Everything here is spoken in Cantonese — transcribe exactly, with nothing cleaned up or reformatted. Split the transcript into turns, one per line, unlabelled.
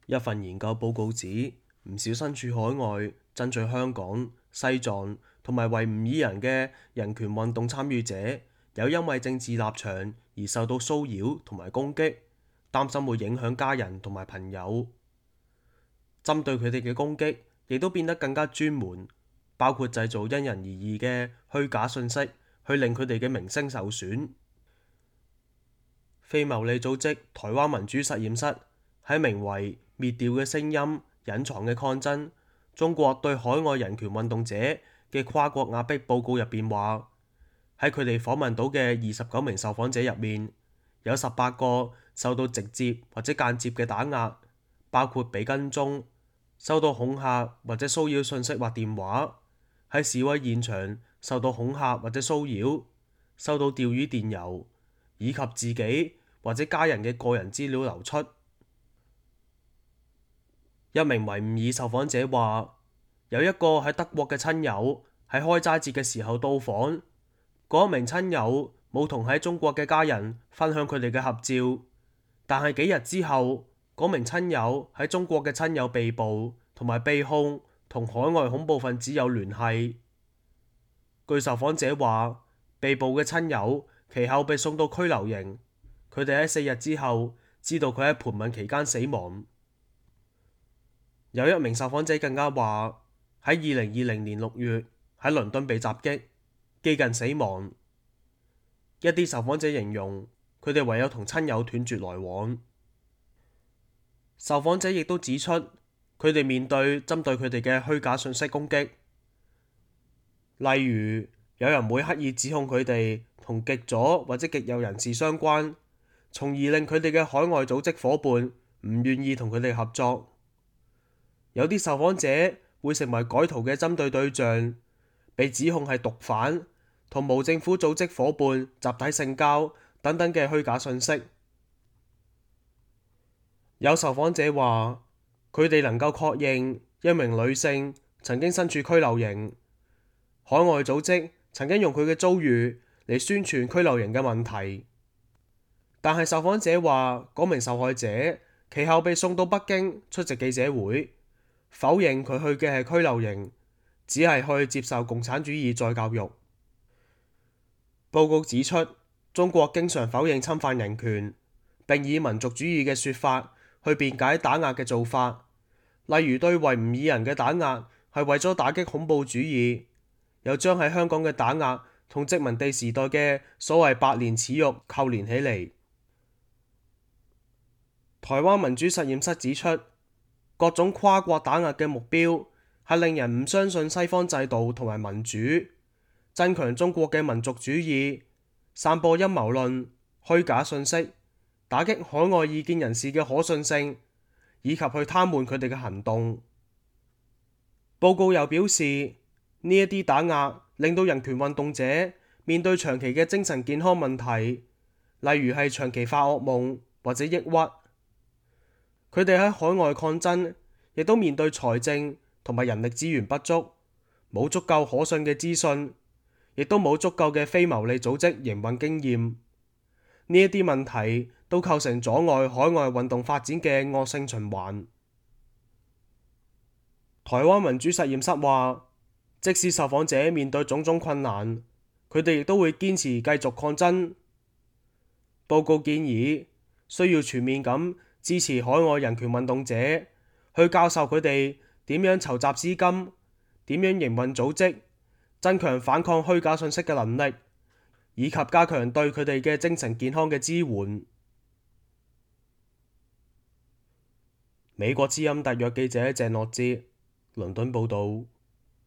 一份研究報告指，唔少身處海外爭取香港、西藏同埋維吾爾人嘅人權運動參與者，有因為政治立場而受到騷擾同埋攻擊，擔心會影響家人同埋朋友。針對佢哋嘅攻擊，亦都變得更加專門，包括製造因人而異嘅虛假信息，去令佢哋嘅名聲受損。非牟利組織台灣民主實驗室喺名為《滅掉嘅聲音：隱藏嘅抗爭：中國對海外人權運動者嘅跨國壓迫》報告入邊話，喺佢哋訪問到嘅二十九名受訪者入面，有十八個受到直接或者間接嘅打壓，包括被跟蹤、收到恐嚇或者騷擾信息或電話，喺示威現場受到恐嚇或者騷擾，收到釣魚電郵，以及自己或者家人嘅個人資料流出。一名維吾爾受訪者話，有一個喺德國嘅親友喺開齋節嘅時候到訪，嗰名親友冇同喺中國嘅家人分享佢哋嘅合照，但係幾日之後，嗰名親友喺中國嘅親友被捕同埋被控同海外恐怖分子有聯繫。據受訪者話，被捕嘅親友其後被送到拘留營，佢哋喺四日之後知道佢喺盤問期間死亡。有一名受訪者更加話，喺二零二零年六月喺倫敦被襲擊，幾近死亡。一啲受訪者形容佢哋唯有同親友斷絕來往。受訪者亦都指出，佢哋面對針對佢哋嘅虛假信息攻擊，例如有人會刻意指控佢哋同極左或者極右人士相關，從而令佢哋嘅海外組織夥伴唔願意同佢哋合作。有啲受訪者會成為改圖嘅針對對象，被指控係毒販同無政府組織夥伴集體性交等等嘅虛假信息。有受訪者話，佢哋能夠確認一名女性曾經身處拘留營，海外組織曾經用佢嘅遭遇嚟宣傳拘留營嘅問題。但係受訪者話，嗰名受害者其後被送到北京出席記者會，否認佢去嘅係拘留營，只係去接受共產主義再教育。報告指出，中國經常否認侵犯人權，並以民族主義嘅說法去辯解打壓嘅做法，例如對維吾爾人嘅打壓係為咗打擊恐怖主義，又將喺香港嘅打壓同殖民地時代嘅所謂百年恥辱扣連起嚟。台灣民主實驗室指出，各種跨國打壓嘅目標係令人唔相信西方制度同埋民主，增強中國嘅民族主義，散播陰謀論、虛假信息，打擊海外異見人士嘅可信性，以及去癱瘓佢哋嘅行動。報告又表示，呢一啲打壓令到人權運動者面對長期嘅精神健康問題，例如係長期發噩夢或者抑鬱。佢哋喺海外抗爭，亦都面對財政同埋人力資源不足，冇足夠可信嘅資訊，亦都冇足夠嘅非牟利組織營運經驗。呢一啲問題都構成阻礙海外運動發展嘅惡性循環。台灣民主實驗室話，即使受訪者面對種種困難，佢哋亦都會堅持繼續抗爭。報告建議需要全面咁支持海外人權運動者，去教授佢哋點樣籌集資金，點樣營運組織，增強反抗虛假信息嘅能力，以及加強對佢哋嘅精神健康嘅支援。美國之音特約記者鄭樂哲，倫敦報導。